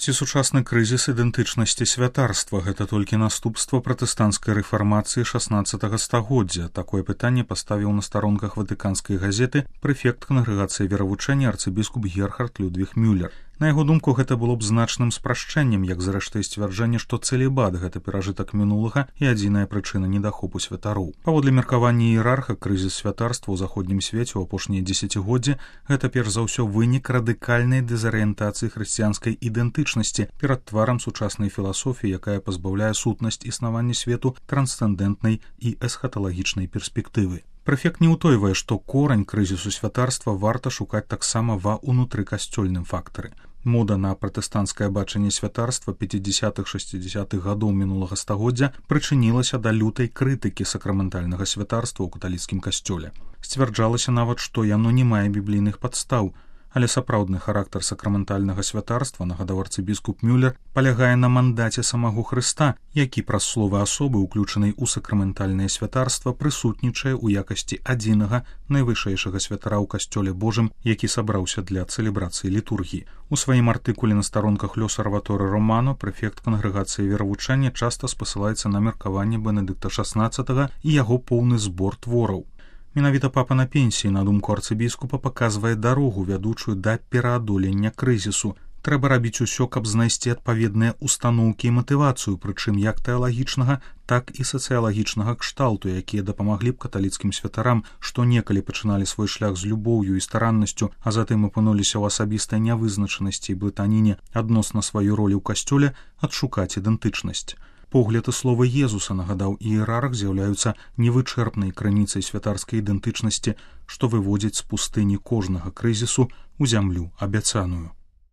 Ці сучасны крызіс ідэнтычнасці святарства – гэта толькі наступства пратэстанцкай рэфармацыі 16 стагоддзя? Такое пытанне паставіў на старонках ватыканскай газеты прэфект кангрэгацыі веравучэння арцыбіскуп Герхард Людвіг Мюллер. На яго думку, гэта было б значным спрашчэннем, як зрэшты і сцвярджэнне, што цэлібат – гэта перажытак мінулага і адзіная прычына недахопу святароў. Паводле меркавання іерарха, крызіс святарства ў заходнім свеце ў апошнія дзесяцігоддзі – гэта перш за ўсё вынік радыкальнай дэзарыентацыі хрысціянскай ідэнтычнасці перад тварам сучаснай філасофіі, якая пазбаўляе сутнасць існавання свету трансцэндэнтнай і эсхаталагічнай перспектывы. Прэфект не ўтойвае, што корань крызісу святарства варта шукаць таксама ва ўнутрыкасцёльным фактары. Мода на пратэстанцкае бачанне святарства 50-60-х гадоў мінулага стагоддзя прычынілася да лютай крытыкі сакраментальнага святарства ў каталіцкім касцёле. Сцвярджалася нават, што яно не мае біблійных падстаў, але сапраўдны характар сакраментальнага святарства, нагадаў арцыбіскуп Мюллер, палягае на мандаце самого Хрыста, які праз словы асобы, уключанай у сакраментальнае святарства, прысутнічае ў якасці адзінага найвышэйшага святара ў касцёле Божым, які сабраўся для цэлебрацыі літургіі. У сваім артыкуле на старонках L'Osservatore Romano прэфект кангрэгацыі веравучэння часта спасылаецца на меркаванне Бенедыкта XVI і яго поўны збор твораў. Менавіта папа на пенсіі, на думку арцыбіскупа, паказвае дарогу, вядучую да пераадолення крызісу. Трэба рабіць усё, каб знайсці адпаведныя устаноўкі і матывацыю, прычым як тэалагічнага, так і сацыялагічнага кшталту, якія дапамаглі б каталіцкім святарам, што некалі пачыналі свой шлях з любоўю і стараннасцю, а затым апынуліся ў асабістай нявызначанасці і блытаніне адносна сваёй ролі ў касцёле, адшукаць ідэнтычнасць. Погляд і словы Езуса, нагадаў іерарх, з'яўляюцца невычэрпнай крыніцай святарскай ідэнтычнасці, што выводзіць з пустыні кожнага крызісу ў зямлю абяцаную.